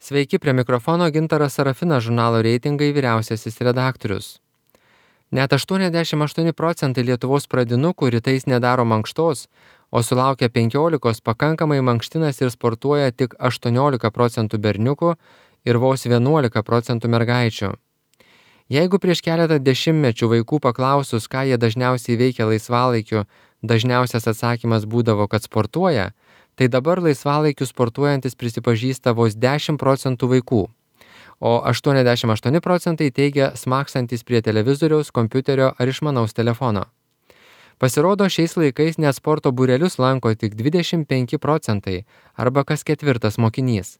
Sveiki, prie mikrofono Gintaras Sarafinas, žurnalo Reitingai vyriausiasis redaktorius. Net 88% Lietuvos pradinukų rytais nedaro mankštos, o sulaukę 15 pakankamai mankštinas ir sportuoja tik 18% berniukų ir vos 11% mergaičių. Jeigu prieš keletą dešimtmečių vaikų paklausus, ką jie dažniausiai veikia laisvalaikiu, dažniausias atsakymas būdavo, kad sportuoja, tai dabar laisvalaikiu sportuojantis prisipažįsta vos 10% vaikų, o 88% teigia smaksantis prie televizoriaus, kompiuterio ar išmanaus telefono. Pasirodo, šiais laikais net sporto būrelius lanko tik 25% arba kas ketvirtas mokinys.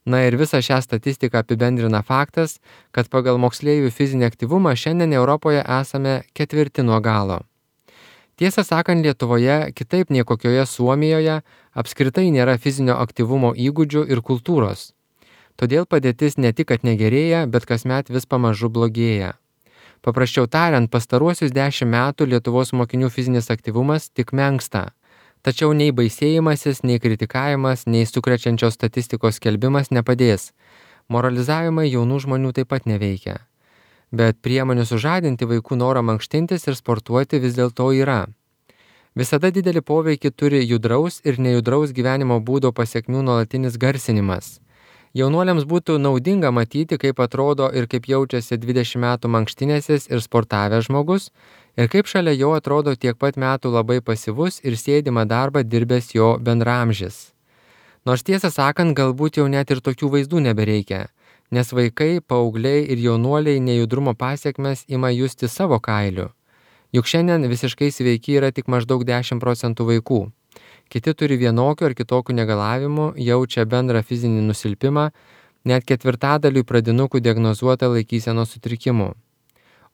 Na ir visą šią statistiką apibendrina faktas, kad pagal moksleivių fizinį aktyvumą šiandien Europoje esame ketvirti nuo galo. Tiesą sakant, Lietuvoje, kitaip nei kokioje Suomijoje, apskritai nėra fizinio aktyvumo įgūdžių ir kultūros. Todėl padėtis ne tik kad negerėja, bet kasmet vis pamažu blogėja. Paprasčiau tariant, pastaruosius 10 metų Lietuvos mokinių fizinis aktyvumas tik menksta. Tačiau nei baisėjimasis, nei kritikavimas, nei sukrečiančios statistikos skelbimas nepadės. Moralizavimai jaunų žmonių taip pat neveikia. Bet priemonių sužadinti vaikų norą mankštintis ir sportuoti vis dėlto yra. Visada didelį poveikį turi judraus ir nejudraus gyvenimo būdo pasekmių nuolatinis garsinimas. Jaunuoliams būtų naudinga matyti, kaip atrodo ir kaip jaučiasi 20 metų mankštinėsis ir sportavęs žmogus, ir kaip šalia jo atrodo tiek pat metų labai pasyvus ir sėdimą darbą dirbęs jo bendraamžis. Nors tiesą sakant, galbūt jau net ir tokių vaizdų nebereikia, nes vaikai, paaugliai ir jaunuoliai nejudrumo pasiekmes ima justi savo kailiu. Juk šiandien visiškai sveiki yra tik maždaug 10% vaikų. Kiti turi vienokių ar kitokių negalavimų, jaučia bendrą fizinį nusilpimą, net ketvirtadaliui pradinukų diagnozuota laikysenos sutrikimų.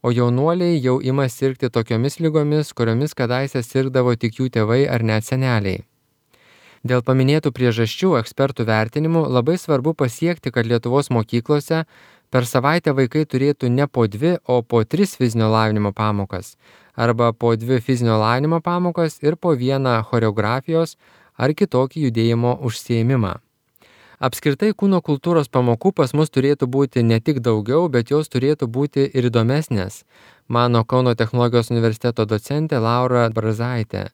O jaunuoliai jau ima sirgti tokiomis ligomis, kuriomis kadaise sirgdavo tik jų tėvai ar net seneliai. Dėl paminėtų priežasčių ekspertų vertinimų labai svarbu pasiekti, kad Lietuvos mokyklose per savaitę vaikai turėtų ne po 2, o po 3 fizinio lavinimo pamokas, arba po 2 fizinio lavinimo pamokas ir po 1 choreografijos ar kitokį judėjimo užsiėmimą. Apskritai kūno kultūros pamokų pas mus turėtų būti ne tik daugiau, bet jos turėtų būti ir įdomesnės, mano Kauno technologijos universiteto docentė Laura Brazaitė.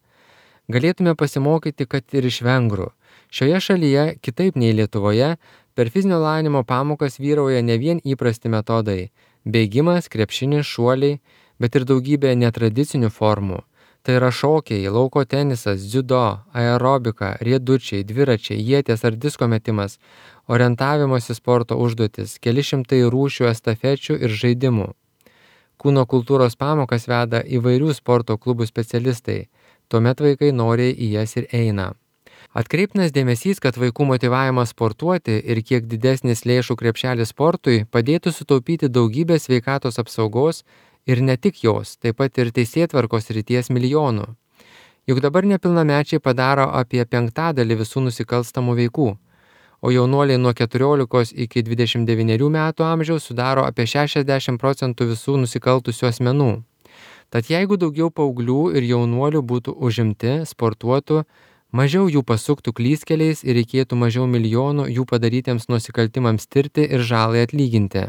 Galėtume pasimokyti, kad ir iš vengrų. Šioje šalyje, kitaip nei Lietuvoje, per fizinio lavinimo pamokas vyrauja ne vien įprasti metodai – bėgimas, krepšinis, šuoliai, bet ir daugybė netradicinių formų. Tai yra šokiai, lauko tenisas, dziudo, aerobika, riedučiai, dviračiai, ieties ar disko metimas, orientavimosi sporto užduotis, keli šimtai rūšių estafečių ir žaidimų. Kūno kultūros pamokas veda įvairių sporto klubų specialistai, tuomet vaikai noriai į jas ir eina. Atkreiptinas dėmesys, kad vaikų motyvavimas sportuoti ir kiek didesnis lėšų krepšelis sportui padėtų sutaupyti daugybę sveikatos apsaugos ir ne tik jos, taip pat ir teisėtvarkos srities milijonų. Juk dabar nepilnamečiai padaro apie 1/5 visų nusikalstamų veikų, o jaunuoliai nuo 14 iki 29 metų amžiaus sudaro apie 60% visų nusikaltusių asmenų. Tad jeigu daugiau paauglių ir jaunuolių būtų užimti, sportuotų, mažiau jų pasuktų klystkeliais ir reikėtų mažiau milijonų jų padarytiems nusikaltimams tirti ir žalai atlyginti.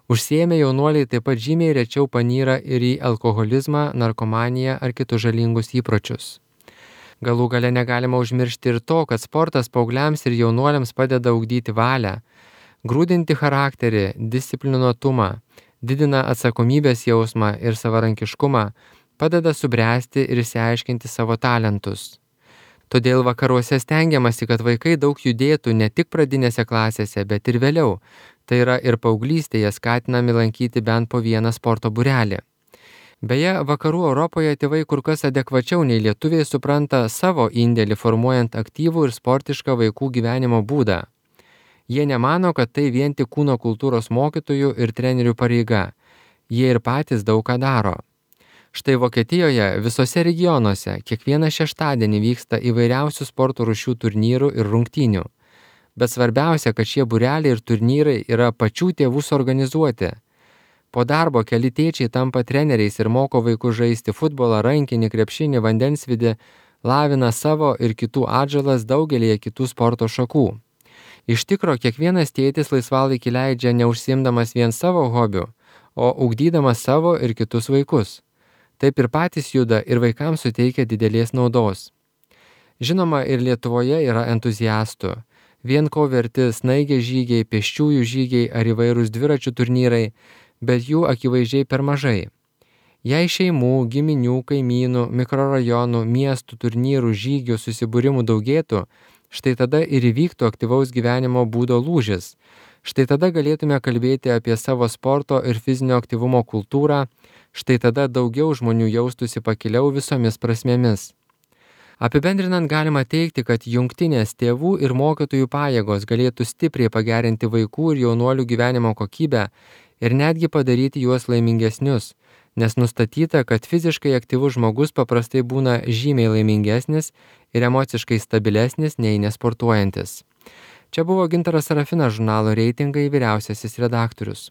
Užsiėmę jaunuoliai taip pat žymiai rečiau panyra ir į alkoholizmą, narkomaniją ar kitus žalingus įpročius. Galų gale negalima užmiršti ir to, kad sportas paaugliams ir jaunuoliams padeda ugdyti valią, grūdinti charakterį, disciplinuotumą, didina atsakomybės jausmą ir savarankiškumą, padeda subręsti ir išsiaiškinti savo talentus. Todėl vakaruose stengiamasi, kad vaikai daug judėtų ne tik pradinėse klasėse, bet ir vėliau. Tai yra ir paauglystėje skatinami lankyti bent po 1 sporto būrelį. Beje, vakarų Europoje tėvai kur kas adekvačiau nei lietuviai supranta savo indėlį formuojant aktyvų ir sportišką vaikų gyvenimo būdą. Jie nemano, kad tai vien tik kūno kultūros mokytojų ir trenerių pareiga. Jie ir patys daug ką daro. Štai Vokietijoje visose regionuose kiekvieną šeštadienį vyksta įvairiausių sporto rūšių turnyrų ir rungtynių. Bet svarbiausia, kad šie būreliai ir turnyrai yra pačių tėvų suorganizuoti. Po darbo keli tėčiai tampa treneriais ir moko vaikus žaisti futbolą, rankinį, krepšinį, vandensvidį, lavina savo ir kitų atžalas daugelėje kitų sporto šakų. Iš tikro, kiekvienas tėtis laisvalaikį leidžia neužsiimdamas vien savo hobių, o ugdydamas savo ir kitus vaikus. Taip ir patys juda ir vaikams suteikia didelės naudos. Žinoma, ir Lietuvoje yra entuziastų. Vien ko verti snaigės žygiai, pėsčiųjų žygiai ar įvairūs dviračių turnyrai, bet jų akivaizdžiai per mažai. Jei šeimų, giminių, kaimynų, mikrorajonų, miestų, turnyrų, žygių, susibūrimų daugėtų, štai tada ir įvyktų aktyvaus gyvenimo būdo lūžis. Štai tada galėtume kalbėti apie savo sporto ir fizinio aktyvumo kultūrą, štai tada daugiau žmonių jaustųsi pakiliau visomis prasmėmis. Apibendrinant galima teigti, kad jungtinės tėvų ir mokytojų pajėgos galėtų stipriai pagerinti vaikų ir jaunuolių gyvenimo kokybę ir netgi padaryti juos laimingesnius, nes nustatyta, kad fiziškai aktyvus žmogus paprastai būna žymiai laimingesnis ir emociškai stabilesnis nei nesportuojantis. Čia buvo Gintaras Serafinas, žurnalo Reitingai vyriausiasis redaktorius.